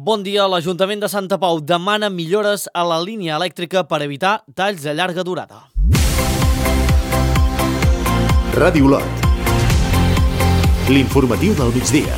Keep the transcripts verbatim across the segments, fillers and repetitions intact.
Bon dia. L'Ajuntament de Santa Pau demana millores a la línia elèctrica per evitar talls de llarga durada. Ràdio Olot. L'informatiu del migdia.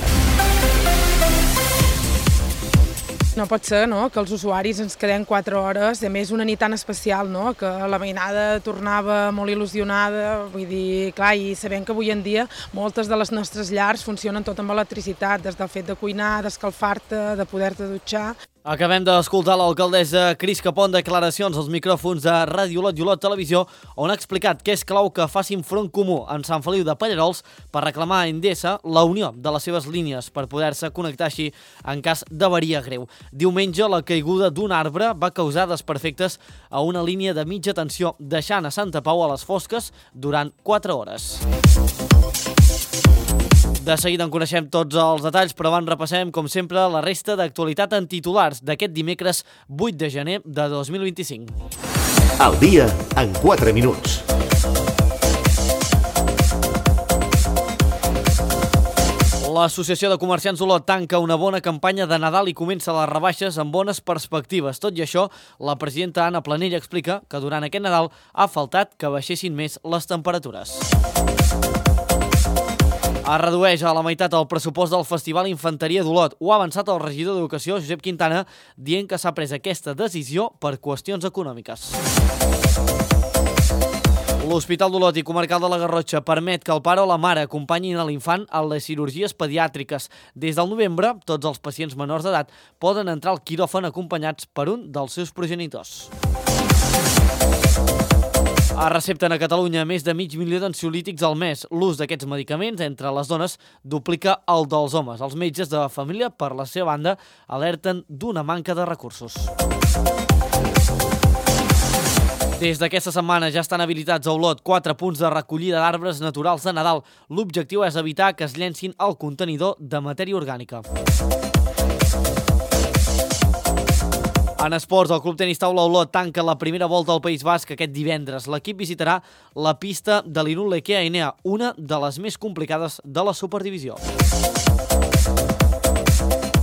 No pot ser, no?, que els usuaris ens quedem quatre hores, a més una nit tan especial, no?, que la veïnada tornava molt il·lusionada, vull dir, clar, i sabem que avui en dia moltes de les nostres llars funcionen tot amb electricitat, des del fet de cuinar, d'escalfar-te, de poder-te dutxar. Acabem d'escoltar l'alcaldessa Cris Capó en declaracions als micròfons de Ràdio Olot i Olot Televisió, on ha explicat que és clau que facin front comú en Sant Feliu de Pallerols per reclamar a Endesa la unió de les seves línies per poder-se connectar així en cas d'avaria greu. Diumenge, la caiguda d'un arbre va causar desperfectes a una línia de mitja tensió, deixant a Santa Pau a les fosques durant quatre hores. De seguida en coneixem tots els detalls, però abans repassem, com sempre, la resta d'actualitat en titulars d'aquest dimecres vuit de gener de dos mil vint-i-cinc. El dia en quatre minuts. L'Associació de Comerciants Olot tanca una bona campanya de Nadal i comença les rebaixes amb bones perspectives. Tot i això, la presidenta Anna Planell explica que durant aquest Nadal ha faltat que baixessin més les temperatures. Es redueix a la meitat el pressupost del Festival Infanteria d'Olot. Ho ha avançat el regidor d'Educació, Josep Quintana, dient que s'ha pres aquesta decisió per qüestions econòmiques. L'Hospital d'Olot i Comarcal de la Garrotxa permet que el pare o la mare acompanyin a l'infant a les cirurgies pediàtriques. Des del novembre, tots els pacients menors d'edat poden entrar al quiròfan acompanyats per un dels seus progenitors. Es recepten a Catalunya més de mig milió d'ansiolítics al mes. L'ús d'aquests medicaments entre les dones duplica el dels homes. Els metges de família, per la seva banda, alerten d'una manca de recursos. Des d'aquesta setmana ja estan habilitats a Olot quatre punts de recollida d'arbres naturals de Nadal. L'objectiu és evitar que es llencin al contenidor de matèria orgànica. En esports, el Club Tenis Taula Olot tanca la primera volta al País Basc aquest divendres. L'equip visitarà la pista de l'Irun Lequea Enea, una de les més complicades de la Superdivisió.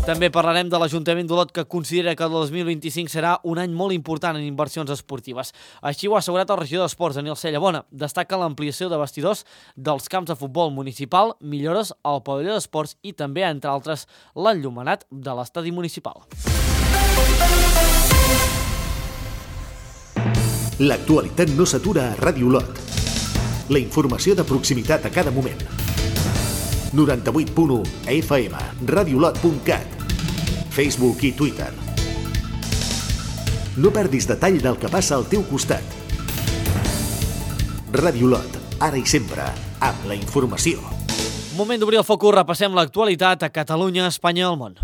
També parlarem de l'Ajuntament d'Olot, que considera que el dos mil vint-i-cinc serà un any molt important en inversions esportives. Així ho ha assegurat el regidor d'Esports, Daniel Cellabona. Destaca l'ampliació de vestidors dels camps de futbol municipal, millores al pavelló d'esports i també, entre altres, l'enllumenat de l'estadi municipal. L'actualitat no s'atura a Ràdio Olot. La informació de proximitat a cada moment. noranta-vuit punt u a F M, radiolot punt cat, Facebook i Twitter. No perdis detall del que passa al teu costat. Ràdio Olot, ara i sempre, amb la informació. Moment d'obrir el focus, repassem l'actualitat a Catalunya, Espanya i el món.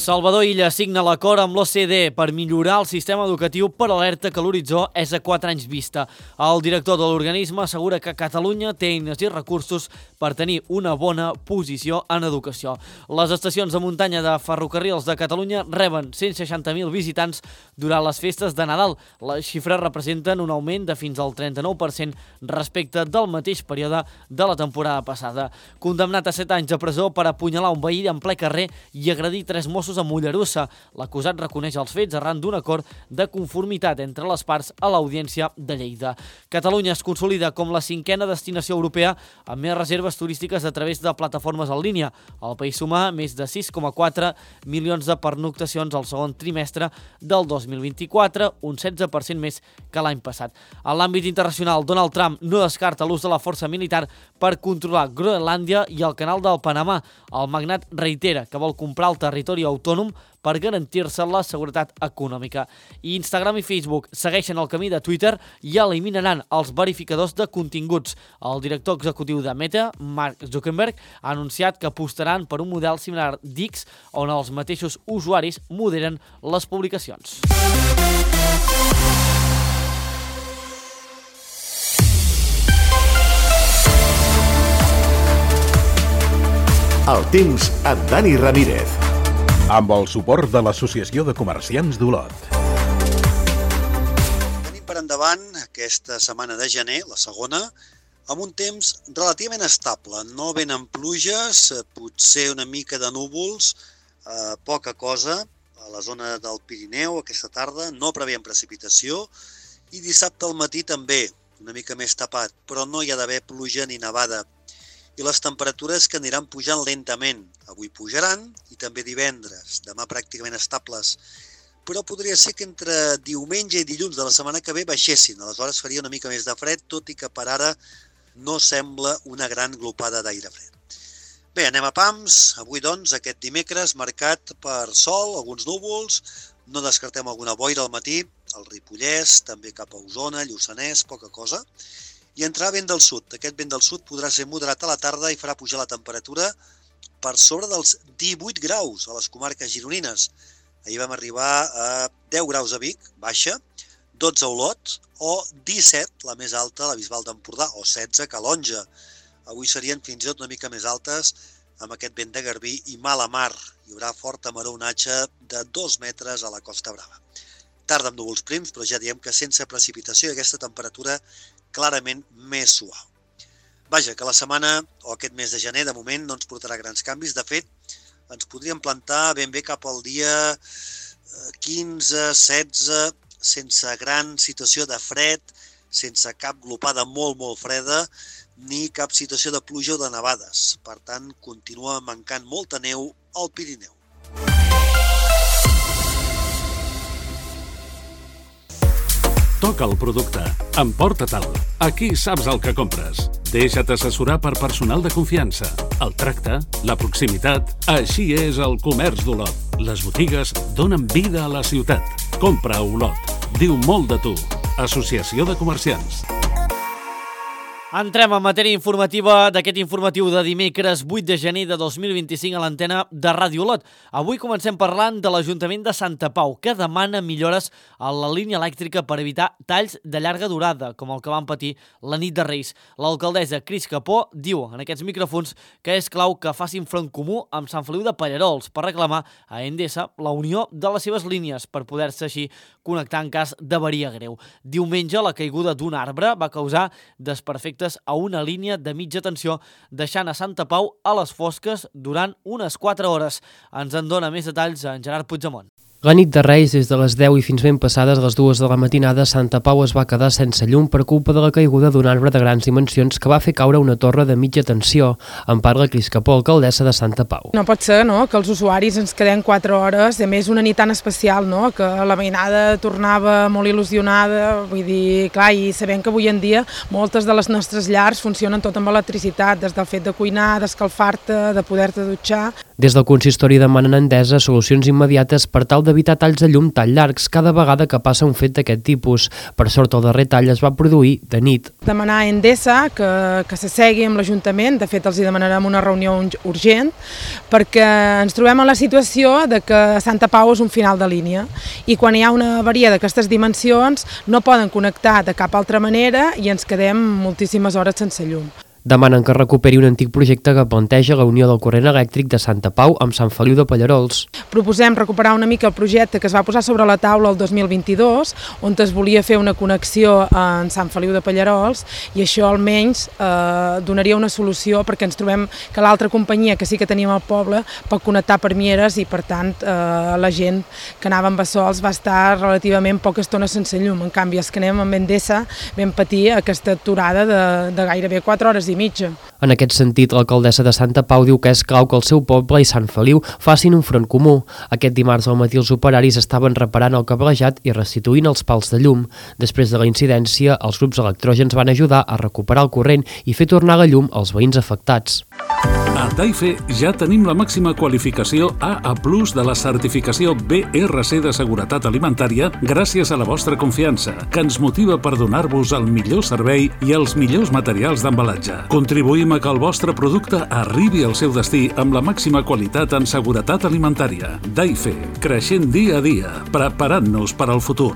Salvador Illa signa l'acord amb l'O C D E per millorar el sistema educatiu, però alerta que l'horitzó és a quatre anys vista. El director de l'organisme assegura que Catalunya té eines i recursos per tenir una bona posició en educació. Les estacions de muntanya de Ferrocarrils de Catalunya reben cent seixanta mil visitants durant les festes de Nadal. Les xifres representen un augment de fins al trenta-nou per cent respecte del mateix període de la temporada passada. Condemnat a set anys de presó per apunyalar un veí en ple carrer i agredir tres Mossos a Mollerussa. L'acusat reconeix els fets arran d'un acord de conformitat entre les parts a l'Audiència de Lleida. Catalunya es consolida com la cinquena destinació europea amb més reserves turístiques a través de plataformes en línia. El país suma més de sis coma quatre milions de pernoctacions al segon trimestre del dos mil vint-i-quatre, un setze per cent més que l'any passat. En l'àmbit internacional, Donald Trump no descarta l'ús de la força militar per controlar Groenlàndia i el canal del Panamà. El magnat reitera que vol comprar el territori autònom per garantir-se la seguretat econòmica. I Instagram i Facebook segueixen el camí de Twitter i eliminaran els verificadors de continguts. El director executiu de Meta, Mark Zuckerberg, ha anunciat que apostaran per un model similar d'X, on els mateixos usuaris moderen les publicacions. El temps amb Dani Ramírez. Amb el suport de l'Associació de Comerciants d'Olot. Per endavant aquesta setmana de gener, la segona, amb un temps relativament estable. No venen pluges, potser una mica de núvols, eh, poca cosa. A la zona del Pirineu aquesta tarda no preveiem precipitació i dissabte al matí també una mica més tapat, però no hi ha d'haver pluja ni nevada. I les temperatures que aniran pujant lentament. Avui pujaran i també divendres, demà pràcticament estables. Però podria ser que entre diumenge i dilluns de la setmana que ve baixessin. Aleshores faria una mica més de fred, tot i que per ara no sembla una gran glopada d'aire fred. Bé, anem a pams. Avui, doncs, aquest dimecres marcat per sol, alguns núvols, no descartem alguna boira al matí, al Ripollès, també cap a Osona, Lluçanès, poca cosa, i entrarà vent del sud. Aquest vent del sud podrà ser moderat a la tarda i farà pujar la temperatura per sobre dels divuit graus a les comarques gironines. Ahir vam arribar a deu graus a Vic, baixa, dotze a Olot, o disset, la més alta, la Bisbal d'Empordà, o setze a Calonja. Avui serien fins i tot una mica més altes amb aquest vent de Garbí i mala mar. Hi haurà forta maroonatge de dos metres a la Costa Brava. Tarda amb núvols prims, però ja diem que sense precipitació i aquesta temperatura clarament més suau. Vaja, que la setmana o aquest mes de gener de moment no ens portarà grans canvis. De fet, ens podríem plantar ben bé cap al dia quinze, setze, sense gran situació de fred, sense cap glopada molt, molt freda, ni cap situació de pluja o de nevades. Per tant, continua mancant molta neu al Pirineu. Toca el producte. Emporta-te'l. Aquí saps el que compres. Deixa't assessorar per personal de confiança. El tracte, la proximitat... Així és el comerç d'Olot. Les botigues donen vida a la ciutat. Compra a Olot. Diu molt de tu. Associació de Comerciants. Entrem en matèria informativa d'aquest informatiu de dimecres vuit de gener de dos mil vint-i-cinc a l'antena de Ràdio Olot. Avui comencem parlant de l'Ajuntament de Santa Pau, que demana millores a la línia elèctrica per evitar talls de llarga durada, com el que van patir la nit de Reis. L'alcaldessa Cris Capó diu en aquests micròfons que és clau que facin front comú amb Sant Feliu de Pallerols per reclamar a Endesa la unió de les seves línies per poder-se així connectar en cas d'avaria greu. Diumenge, la caiguda d'un arbre va causar desperfectes a una línia de mitja tensió, deixant a Santa Pau a les fosques durant unes quatre hores. Ens en dona més detalls en Gerard Puigdemont. La nit de Reis, des de les deu i fins ben passades les dues de la matinada, Santa Pau es va quedar sense llum per culpa de la caiguda d'un arbre de grans dimensions que va fer caure una torre de mitja tensió. En parla Cris Capó, alcaldessa de Santa Pau. No pot ser, no?, que els usuaris ens quedem quatre hores, a més una nit tan especial, no?, que la veïnada tornava molt il·lusionada, vull dir, clar, i sabem que avui en dia moltes de les nostres llars funcionen tot amb electricitat, des del fet de cuinar, d'escalfar-te, de poder-te dutxar. Des del consistori demanen a Endesa solucions immediates per tal d'evitar talls de llum tan llargs cada vegada que passa un fet d'aquest tipus. Per sort, el darrer tall es va produir de nit. Demanar a Endesa que, que s'assegui amb l'Ajuntament, de fet els hi demanarem una reunió urgent, perquè ens trobem en la situació de que Santa Pau és un final de línia i quan hi ha una avaria d'aquestes dimensions no poden connectar de cap altra manera i ens quedem moltíssimes hores sense llum. Demanen que recuperi un antic projecte que planteja la unió del corrent elèctric de Santa Pau amb Sant Feliu de Pallerols. Proposem recuperar una mica el projecte que es va posar sobre la taula el dos mil vint-i-dos, on es volia fer una connexió en Sant Feliu de Pallerols, i això almenys eh, donaria una solució, perquè ens trobem que l'altra companyia que sí que teníem al poble pot connectar per Mieres i per tant eh, la gent que anava amb Bassols va estar relativament poca estona sense llum. En canvi, els que anem amb Endesa vam patir aquesta aturada de, de gairebé quatre hores i mitja. En aquest sentit, l'alcaldessa de Santa Pau diu que és clau que el seu poble i Sant Feliu facin un front comú. Aquest dimarts al matí els operaris estaven reparant el cablejat i restituint els pals de llum. Després de la incidència, els grups electrògens van ajudar a recuperar el corrent i fer tornar la llum als veïns afectats. A Taife ja tenim la màxima qualificació A A plus de la certificació B R C de seguretat alimentària gràcies a la vostra confiança, que ens motiva per donar-vos el millor servei i els millors materials d'embalatge. Contribuïm a que el vostre producte arribi al seu destí amb la màxima qualitat en seguretat alimentària. Taife, creixent dia a dia, preparant-nos per al futur.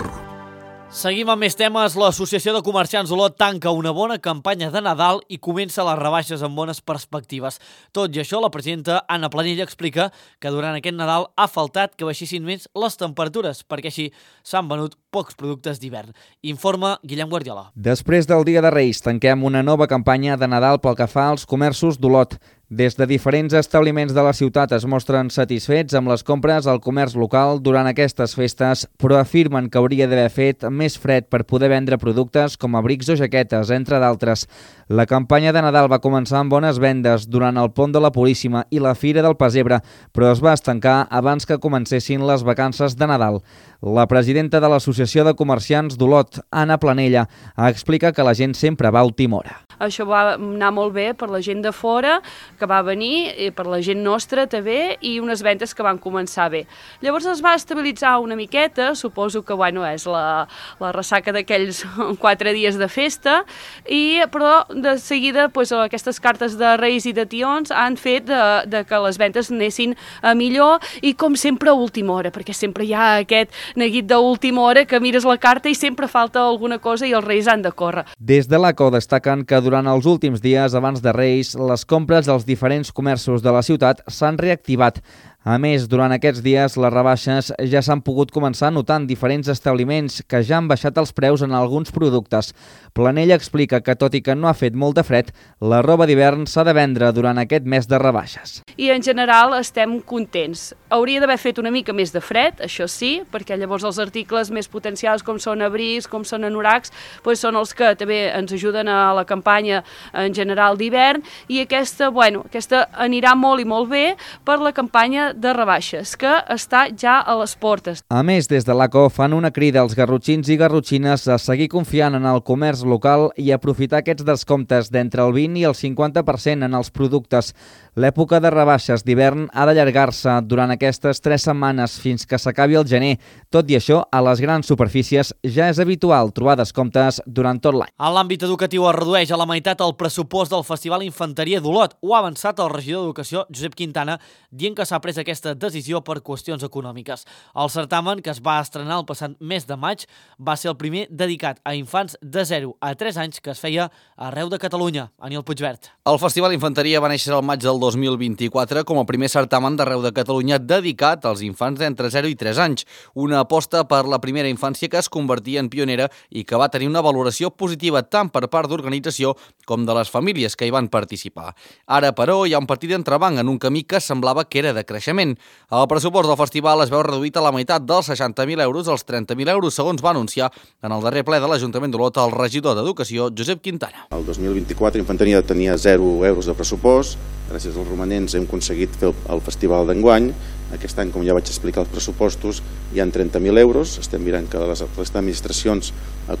Seguim amb més temes. L'Associació de Comerciants Olot tanca una bona campanya de Nadal i comença les rebaixes amb bones perspectives. Tot i això, la presidenta Anna Planella explica que durant aquest Nadal ha faltat que baixessin més les temperatures, perquè així s'han venut pocs productes d'hivern. Informa Guillem Guardiola. Després del Dia de Reis, tanquem una nova campanya de Nadal pel que fa als comerços d'Olot. Des de diferents establiments de la ciutat es mostren satisfets amb les compres al comerç local durant aquestes festes, però afirmen que hauria d'haver fet més fred per poder vendre productes com abrics o jaquetes, entre d'altres. La campanya de Nadal va començar amb bones vendes durant el Pont de la Puríssima i la Fira del Pessebre, però es va estancar abans que comencessin les vacances de Nadal. La presidenta de l'Associació de Comerciants d'Olot, Anna Planella, explica que la gent sempre va a última hora. Això va anar molt bé per la gent de fora, que va venir, i per la gent nostra també, i unes ventes que van començar bé. Llavors es va estabilitzar una miqueta, suposo que bueno, és la, la ressaca d'aquells quatre dies de festa, i, però de seguida pues, aquestes cartes de Reis i de Tions han fet de, de que les ventes anessin a millor, i com sempre a última hora, perquè sempre hi ha aquest neguit d'última hora que mires la carta i sempre falta alguna cosa i els Reis han de córrer. Des de l'A C O destaquen que durant els últims dies abans de Reis, les compres als diferents comerços de la ciutat s'han reactivat. A més, durant aquests dies, les rebaixes ja s'han pogut començar a notar en diferents establiments que ja han baixat els preus en alguns productes. Planella explica que, tot i que no ha fet molt de fred, la roba d'hivern s'ha de vendre durant aquest mes de rebaixes. I en general estem contents. Hauria d'haver fet una mica més de fred, això sí, perquè llavors els articles més potencials com són abrics, com són anoracs, doncs són els que també ens ajuden a la campanya en general d'hivern, i aquesta, bueno, aquesta anirà molt i molt bé per la campanya de rebaixes, que està ja a les portes. A més, des de l'A C O fan una crida als garrotxins i garrotxines a seguir confiant en el comerç local i aprofitar aquests descomptes d'entre el vint i el cinquanta per cent en els productes. L'època de rebaixes d'hivern ha d'allargar-se durant aquestes tres setmanes fins que s'acabi el gener. Tot i això, a les grans superfícies ja és habitual trobar descomptes durant tot l'any. En l'àmbit educatiu es redueix a la meitat el pressupost del Festival Infanteria d'Olot. Ho ha avançat el regidor d'Educació, Josep Quintana, dient que s'ha pres aquesta decisió per qüestions econòmiques. El certamen, que es va estrenar el passat mes de maig, va ser el primer dedicat a infants de zero a tres anys que es feia arreu de Catalunya. Aniel Puigvert. El Festival Infanteria va néixer el maig del dos mil vint-i-quatre com a primer certamen d'arreu de Catalunya dedicat als infants d'entre zero i tres anys. Una aposta per la primera infància que es convertia en pionera i que va tenir una valoració positiva tant per part d'organització com de les famílies que hi van participar. Ara, però, hi ha un petit entrebanc en un camí que semblava que era de creixement. El pressupost del festival es veu reduït a la meitat dels seixanta mil euros als trenta mil euros, segons va anunciar en el darrer ple de l'Ajuntament d'Olot el regidor d'Educació, Josep Quintana. El dos mil vint-i-quatre Infanteria tenia zero euros de pressupost. Gràcies als romanents hem aconseguit fer el festival d'enguany. Aquest any, com ja vaig explicar els pressupostos, hi ha trenta mil euros. Estem mirant que les restes d'administracions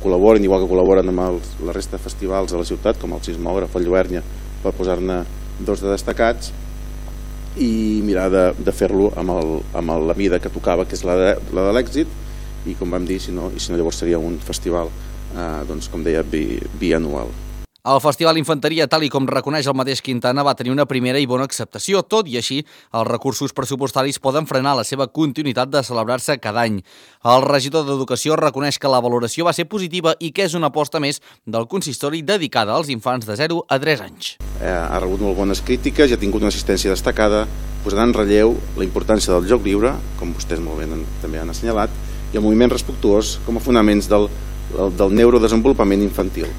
col·laboren, igual que col·laboren amb els, la resta de festivals de la ciutat, com el Sismògraf, el Lluernia, per posar-ne dos de destacats, i mirar de, de fer-lo amb, el, amb el, la mida que tocava, que és la de, la de l'èxit, i com vam dir, si no, i si no llavors seria un festival, eh, doncs, com deia, bi, bianual. El Festival Infanteria, tal i com reconeix el mateix Quintana, va tenir una primera i bona acceptació. Tot i així, els recursos pressupostaris poden frenar la seva continuïtat de celebrar-se cada any. El regidor d'Educació reconeix que la valoració va ser positiva i que és una aposta més del consistori dedicada als infants de zero a tres anys. Eh, ha rebut molt bones crítiques i ha tingut una assistència destacada, posant en relleu la importància del joc lliure, com vostès molt bé també han assenyalat, i el moviment respectuós com a fonaments del, del, del neurodesenvolupament infantil.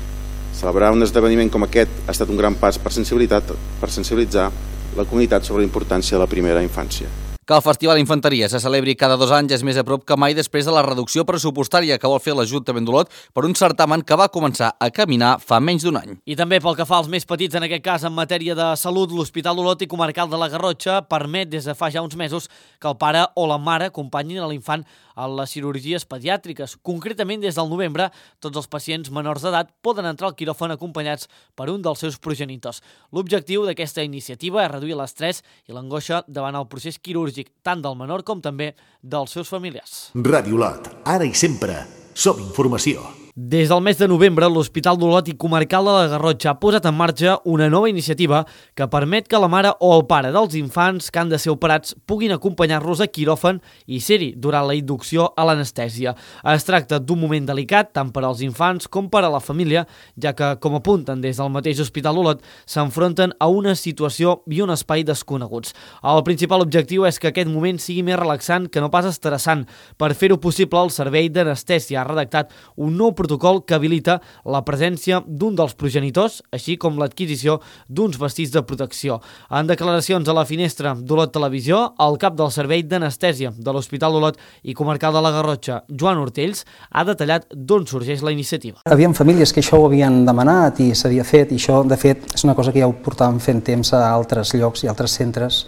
Celebrar un esdeveniment com aquest ha estat un gran pas per sensibilitat, per sensibilitzar la comunitat sobre la importància de la primera infància. Que el Festival Infanteria se celebri cada dos anys és més a prop que mai després de la reducció pressupostària que vol fer l'Ajuntament d'Olot per un certamen que va començar a caminar fa menys d'un any. I també pel que fa als més petits, en aquest cas en matèria de salut, l'Hospital d'Olot i Comarcal de la Garrotxa permet des de fa ja uns mesos que el pare o la mare acompanyin a l'infant a les cirurgies pediàtriques. Concretament, des del novembre, tots els pacients menors d'edat poden entrar al quiròfan acompanyats per un dels seus progenitors. L'objectiu d'aquesta iniciativa és reduir l'estrès i l'angoixa davant el procés quirúrgic, tant del menor com també dels seus familiars. Ràdio Olot, ara i sempre, som informació. Des del mes de novembre, l'Hospital d'Olot i Comarcal de la Garrotxa ha posat en marxa una nova iniciativa que permet que la mare o el pare dels infants que han de ser operats puguin acompanyar-los a quiròfan i ser-hi durant la inducció a l'anestèsia. Es tracta d'un moment delicat tant per als infants com per a la família, ja que, com apunten des del mateix Hospital d'Olot, s'enfronten a una situació i un espai desconeguts. El principal objectiu és que aquest moment sigui més relaxant que no pas estressant. Per fer-ho possible, el Servei d'Anestèsia ha redactat un nou protocol que habilita la presència d'un dels progenitors, així com l'adquisició d'uns vestits de protecció. En declaracions a la finestra d'Olot Televisió, el cap del Servei d'Anestèsia de l'Hospital d'Olot i Comarcal de la Garrotxa, Joan Ortells, ha detallat d'on sorgeix la iniciativa. Havien famílies que això ho havien demanat i s'havia fet, i això, de fet, és una cosa que ja ho portàvem fent temps a altres llocs i altres centres,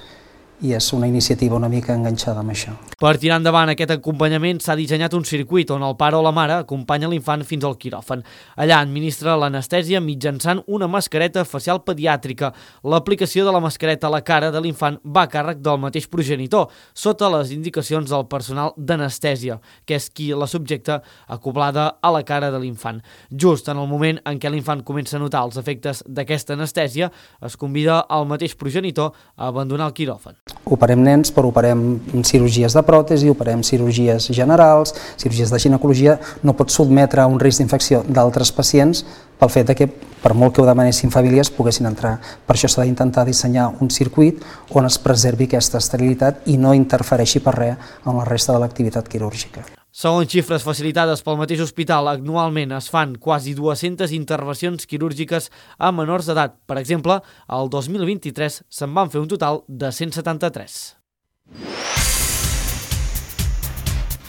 i és una iniciativa una mica enganxada amb això. Per tirar endavant aquest acompanyament s'ha dissenyat un circuit on el pare o la mare acompanya l'infant fins al quiròfan. Allà administra l'anestèsia mitjançant una mascareta facial pediàtrica. L'aplicació de la mascareta a la cara de l'infant va a càrrec del mateix progenitor, sota les indicacions del personal d'anestèsia, que és qui la subjecta acoblada a la cara de l'infant. Just en el moment en què l'infant comença a notar els efectes d'aquesta anestèsia, es convida al mateix progenitor a abandonar el quiròfan. Operem nens, però operem cirurgies de pròtesi, operem cirurgies generals, cirurgies de ginecologia. No pots sotmetre a un risc d'infecció d'altres pacients pel fet que, per molt que ho demanessin famílies, poguessin entrar. Per això s'ha d'intentar dissenyar un circuit on es preservi aquesta esterilitat i no interfereixi per res amb la resta de l'activitat quirúrgica. Segons xifres facilitades pel mateix hospital, anualment es fan quasi dues-centes intervencions quirúrgiques a menors d'edat. Per exemple, el dos mil vint-i-tres se'n van fer un total de cent setanta-tres.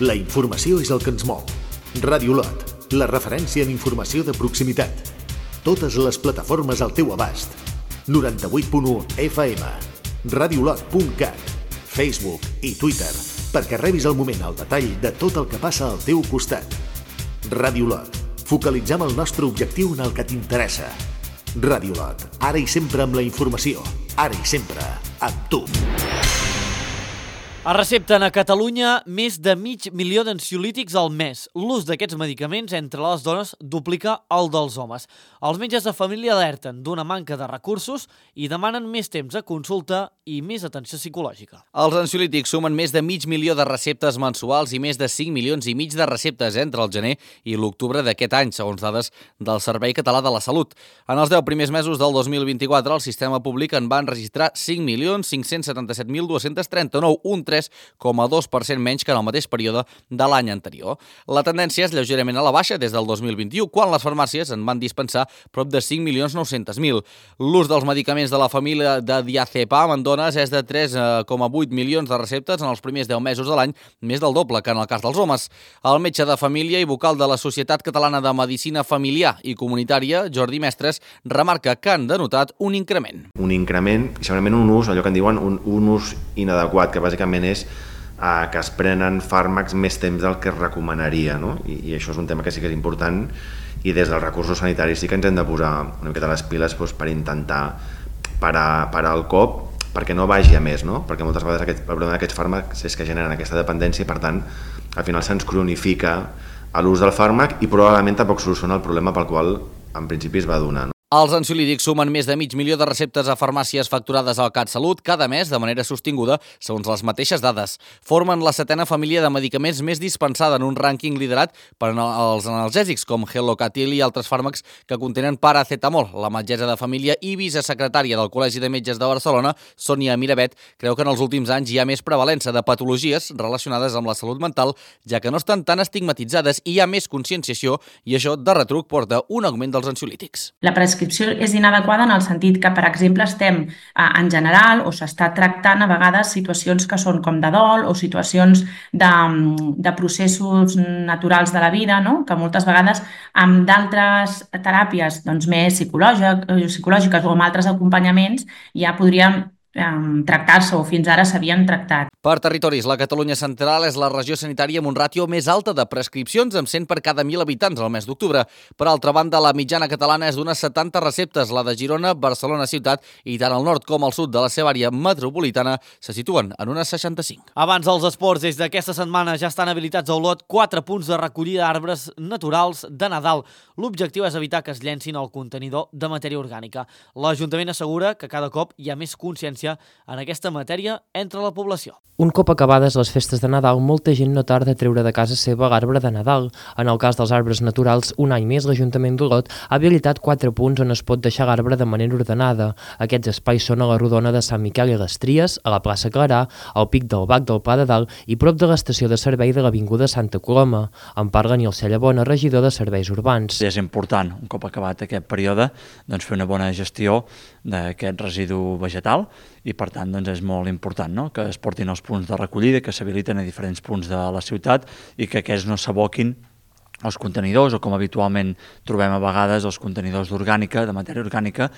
La informació és el que ens mou. Ràdio Olot, la referència en informació de proximitat. Totes les plataformes al teu abast. noranta-vuit punt u F M, radiolot punt cat, Facebook i Twitter, perquè rebis al moment el detall de tot el que passa al teu costat. Ràdio Olot. Focalitzem el nostre objectiu en el que t'interessa. Ràdio Olot. Ara i sempre amb la informació. Ara i sempre amb tu. Es recepten a Catalunya més de mig milió d'ansiolítics al mes. L'ús d'aquests medicaments entre les dones duplica el dels homes. Els metges de família alerten d'una manca de recursos i demanen més temps de consulta i més atenció psicològica. Els ansiolítics sumen més de mig milió de receptes mensuals i més de cinc milions i mig de receptes entre el gener i l'octubre d'aquest any, segons dades del Servei Català de la Salut. En els deu primers mesos del dos mil vint-i-quatre, el sistema públic en va enregistrar cinc milions cinc-cents setanta-set mil dos-cents trenta-nou, un tres coma dos per cent menys que en el mateix període de l'any anterior. La tendència és lleugerament a la baixa des del dos mil vint-i-u, quan les farmàcies en van dispensar prop de cinc milions nou-cents mil. L'ús dels medicaments de la família de diazepam en dones és de tres coma vuit milions de receptes en els primers deu mesos de l'any, més del doble que en el cas dels homes. El metge de família i vocal de la Societat Catalana de Medicina Familiar i Comunitària, Jordi Mestres, remarca que han denotat un increment. Un increment, i segurament un ús, allò que en diuen un, un ús inadequat, que bàsicament és eh, que es prenen fàrmacs més temps del que es recomanaria, no? I, i això és un tema que sí que és important, i des dels recursos sanitaris sí que ens hem de posar una miqueta les piles doncs, per intentar parar, parar el cop, perquè no vagi a més, no? Perquè moltes vegades aquest, el problema d'aquests fàrmacs és que generen aquesta dependència i per tant al final se'ns cronifica l'ús del fàrmac i probablement tampoc soluciona el problema pel qual en principi es va donar, no? Els ansiolítics sumen més de mig milió de receptes a farmàcies facturades al CatSalut cada mes de manera sostinguda, segons les mateixes dades. Formen la setena família de medicaments més dispensada en un rànquing liderat per als analgèsics com Gelocatil i altres fàrmacs que contenen paracetamol. La metgessa de família i vicesecretària del Col·legi de Metges de Barcelona, Sònia Miravet, creu que en els últims anys hi ha més prevalença de patologies relacionades amb la salut mental, ja que no estan tan estigmatitzades i hi ha més conscienciació i això de retruc porta un augment dels ansiolítics. La prescripció és inadequada en el sentit que, per exemple, estem en general o s'està tractant a vegades situacions que són com de dol o situacions de, de processos naturals de la vida, no? Que moltes vegades amb d'altres teràpies doncs, més psicològiques o amb altres acompanyaments ja podrien tractar-se o fins ara s'havien tractat. Per territoris, la Catalunya central és la regió sanitària amb un ràtio més alta de prescripcions, amb cent per cada mil habitants al mes d'octubre. Per altra banda, la mitjana catalana és d'unes setanta receptes. La de Girona, Barcelona ciutat i tant al nord com al sud de la seva àrea metropolitana se situen en unes seixanta-cinc. Abans dels esports, des d'aquesta setmana ja estan habilitats a Olot quatre punts de recollida d'arbres naturals de Nadal. L'objectiu és evitar que es llencin al contenidor de matèria orgànica. L'Ajuntament assegura que cada cop hi ha més consciència en aquesta matèria entre la població. Un cop acabades les festes de Nadal, molta gent no tarda a treure de casa seva l'arbre de Nadal. En el cas dels arbres naturals, un any més l'Ajuntament d'Olot ha habilitat quatre punts on es pot deixar l'arbre de manera ordenada. Aquests espais són a la Rodona de Sant Miquel i les Tries, a la plaça Clarà, al Pic del Bac del Pla de Dalt i prop de l'estació de servei de l'Avinguda Santa Coloma. En parla Nilcella Bona, regidor de Serveis Urbans. És important, un cop acabat aquest període, doncs fer una bona gestió d'aquest residu vegetal i per tant doncs, és molt important, no?, que es portin els punts de recollida, que s'habiliten a diferents punts de la ciutat i que aquests no s'aboquin els contenidors o com habitualment trobem a vegades els contenidors d'orgànica, de matèria orgànica,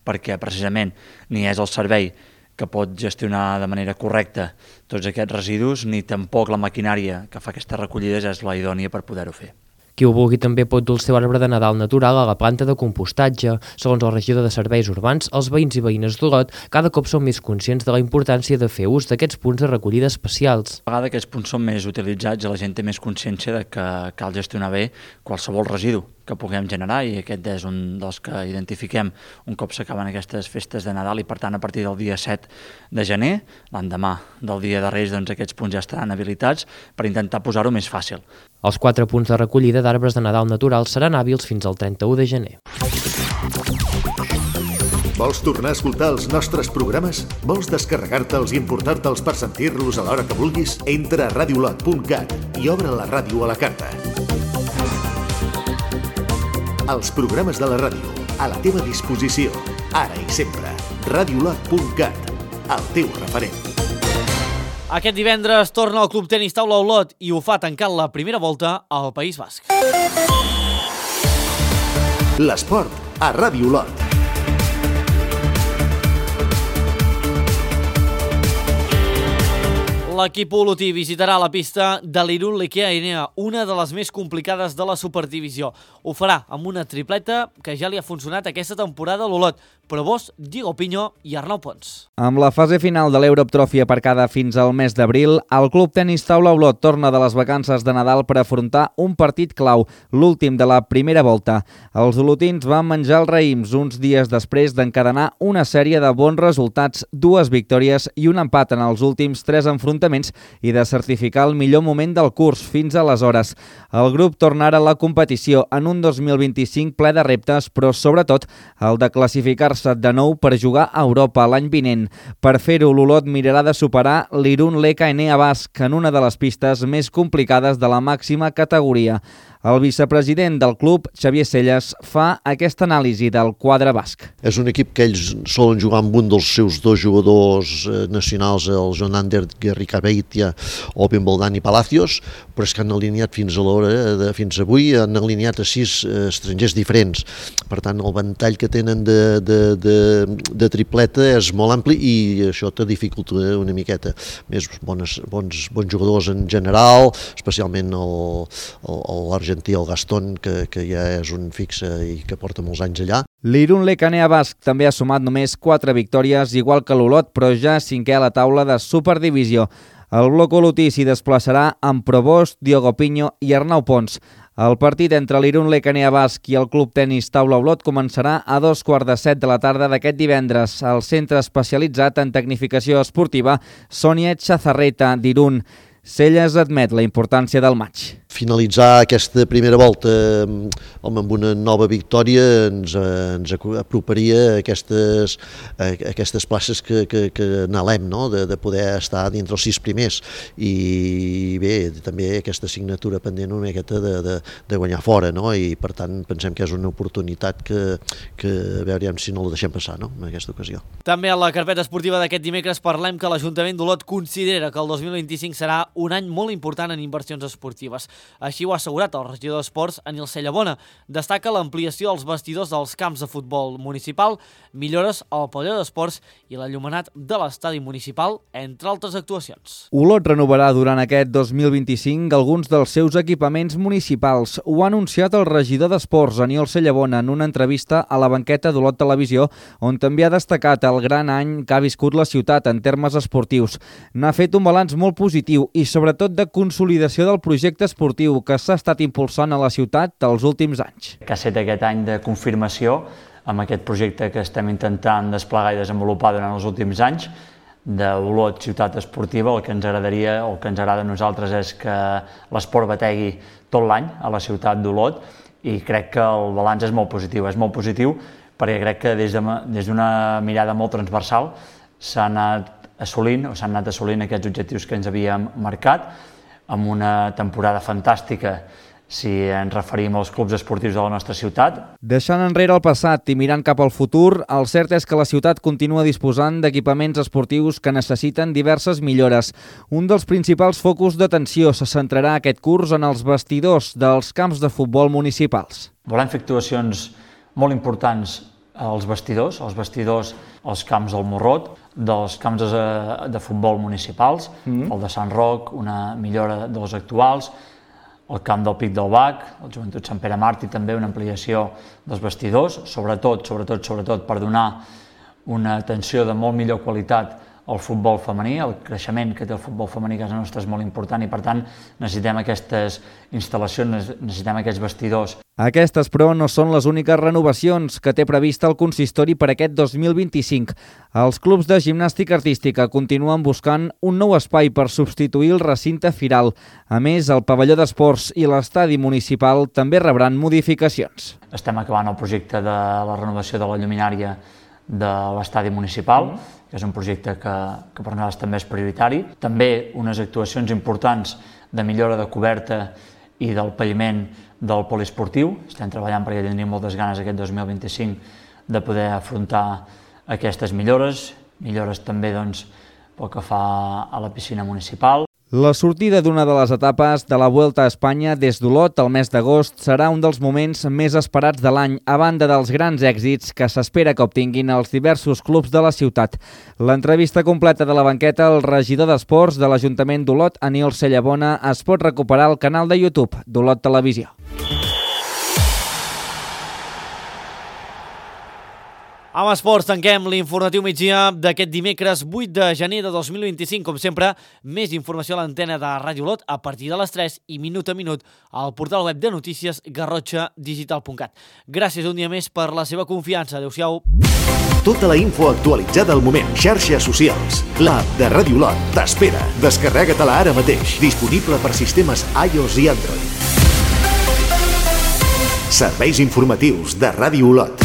perquè precisament ni és el servei que pot gestionar de manera correcta tots aquests residus, ni tampoc la maquinària que fa aquestes recollides és la idònia per poder-ho fer. Qui ho vulgui també pot dur el seu arbre de Nadal natural a la planta de compostatge. Segons el regidor de Serveis Urbans, els veïns i veïnes d'Olot cada cop són més conscients de la importància de fer ús d'aquests punts de recollida especials. A vegades aquests punts són més utilitzats i la gent té més consciència de que cal gestionar bé qualsevol residu que puguem generar i aquest és un dels que identifiquem un cop s'acaben aquestes festes de Nadal i per tant a partir del dia set de gener, l'endemà del dia de Reis, doncs aquests punts ja estaran habilitats per intentar posar-ho més fàcil. Els quatre punts de recollida d'arbres de Nadal naturals seran hàbils fins al trenta-u de gener. Vols tornar a escoltar els nostres programes? Vols descarregar-te'ls i importar-te'ls per sentir-los a l'hora que vulguis? Entra a radiolot punt cat i obre la ràdio a la carta. Els programes de la ràdio, a la teva disposició, ara i sempre. radiolot punt cat, el teu referent. Aquest divendres torna el Club Tenis Taula Olot i ho fa tancant la primera volta al País Basc. L'esport a Ràdio Olot. L'equip olotí visitarà la pista de l'Irun Lechia Enea, una de les més complicades de la Superdivisió. Ho farà amb una tripleta que ja li ha funcionat aquesta temporada a l'Olot. Provós, Diego Piño i Arnau Pons. Amb la fase final de l'Europe Trophy aparcada fins al mes d'abril, el Club Tenis Taula Olot torna de les vacances de Nadal per afrontar un partit clau, l'últim de la primera volta. Els olotins van menjar els raïms uns dies després d'encadenar una sèrie de bons resultats, dues victòries i un empat en els últims tres enfrontaments i de certificar el millor moment del curs fins aleshores. El grup tornarà a la competició en un dos mil vint-i-cinc ple de reptes, però sobretot el de classificar-se de nou per jugar a Europa l'any vinent. Per fer-ho, l'Olot mirarà de superar l'Irun Lechia Enea Basc en una de les pistes més complicades de la màxima categoria. El vicepresident del club, Xavier Selles, fa aquesta anàlisi del quadre basc. És un equip que ells solen jugar amb un dels seus dos jugadors nacionals, el Jonander Guerricabeitia o Bimbaldani Palacios, però és que han alineat fins a l'hora, de, fins avui, han alineat a sis estrangers diferents. Per tant, el ventall que tenen de, de, de, de tripleta és molt ampli i això te dificulta una miqueta. Més bones, bons, bons jugadors en general, especialment el, el, l'argentí argentí, el Gastón, que, que ja és un fixe i que porta molts anys allà. L'Irun Lechia Enea Basc també ha sumat només quatre victòries, igual que l'Olot, però ja cinquè a la taula de Superdivisió. El bloc olotí s'hi desplaçarà amb Provost, Diogo Piño i Arnau Pons. El partit entre l'Irun Lechia Enea Basc i el Club Tenis Taula Olot començarà a dos quarts de set de la tarda d'aquest divendres al centre especialitzat en tecnificació esportiva Sònia Chazarreta d'Irun. Selles admet la importància del maig. Finalitzar aquesta primera volta home, amb una nova victòria ens, ens aproparia a aquestes, a aquestes places que, que, que anhelem, no? de, de poder estar dintre els sis primers i bé, també aquesta assignatura pendent una miqueta de, de, de guanyar fora, no? I per tant pensem que és una oportunitat que, que a veure si no la deixem passar, no? En aquesta ocasió. També a la carpeta esportiva d'aquest dimecres parlem que l'Ajuntament d'Olot considera que el dos mil vint-i-cinc serà un any molt important en inversions esportives. Així ho ha assegurat el regidor d'Esports, Anil Cellabona. Destaca l'ampliació dels vestidors dels camps de futbol municipal, millores al pavelló d'esports i l'enllumenat de l'estadi municipal, entre altres actuacions. Olot renovarà durant aquest dos mil vint-i-cinc alguns dels seus equipaments municipals. Ho ha anunciat el regidor d'Esports, Anil Cellabona, en una entrevista a la banqueta d'Olot Televisió, on també ha destacat el gran any que ha viscut la ciutat en termes esportius. N'ha fet un balanç molt positiu i sobretot de consolidació del projecte esportiu que s'ha estat impulsant a la ciutat els últims anys. Que ha estat aquest any de confirmació amb aquest projecte que estem intentant desplegar i desenvolupar durant els últims anys d'Olot ciutat esportiva. El que ens agradaria o el que ens agrada a nosaltres és que l'esport bategui tot l'any a la ciutat d'Olot i crec que el balanç és molt positiu. És molt positiu perquè crec que des d'una mirada molt transversal s'han anat assolint o s'han anat assolint aquests objectius que ens havíem marcat amb una temporada fantàstica si ens referim als clubs esportius de la nostra ciutat. Deixant enrere el passat i mirant cap al futur, el cert és que la ciutat continua disposant d'equipaments esportius que necessiten diverses millores. Un dels principals focus d'atenció se centrarà aquest curs en els vestidors dels camps de futbol municipals. Volem fer actuacions molt importants als vestidors, als vestidors als camps del Morrot, dels camps de, de futbol municipals, mm. el de Sant Roc, una millora dels actuals, el camp del Pic del Bac, el Joventut Sant Pere Màrtir, també una ampliació dels vestidors, sobretot, sobretot, sobretot per donar una atenció de molt millor qualitat al futbol femení. El creixement que té el futbol femení a casa nostra és molt important i, per tant, necessitem aquestes instal·lacions, necessitem aquests vestidors. Aquestes, però, no són les úniques renovacions que té prevista el consistori per aquest dos mil vint-i-cinc. Els clubs de gimnàstica artística continuen buscant un nou espai per substituir el recinte firal. A més, el pavelló d'esports i l'estadi municipal també rebran modificacions. Estem acabant el projecte de la renovació de la lluminària de l'estadi municipal, que és un projecte que, que per nosaltres també és prioritari. També unes actuacions importants de millora de coberta i del paviment del poliesportiu. Estem treballant perquè tindríem moltes ganes aquest dos mil vint-i-cinc de poder afrontar aquestes millores, millores també doncs, pel que fa a la piscina municipal. La sortida d'una de les etapes de la Vuelta a Espanya des d'Olot al mes d'agost serà un dels moments més esperats de l'any, a banda dels grans èxits que s'espera que obtinguin els diversos clubs de la ciutat. L'entrevista completa de la banqueta al regidor d'Esports de l'Ajuntament d'Olot, Anil Cellabona, es pot recuperar al canal de YouTube d'Olot Televisió. Amb esports tanquem l'informatiu migdia d'aquest dimecres vuit de gener de dos mil vint-i-cinc. Com sempre, més informació a l'antena de Ràdio Olot a partir de les tres i minut a minut al portal web de notícies garrotxa digital punt cat. Gràcies un dia més per la seva confiança. Adéu-siau. Tota la info actualitzada al moment. Xarxes socials. L'app de Ràdio Olot t'espera. Descarrega-te-la ara mateix. Disponible per sistemes iOS i Android. Serveis informatius de Ràdio Olot.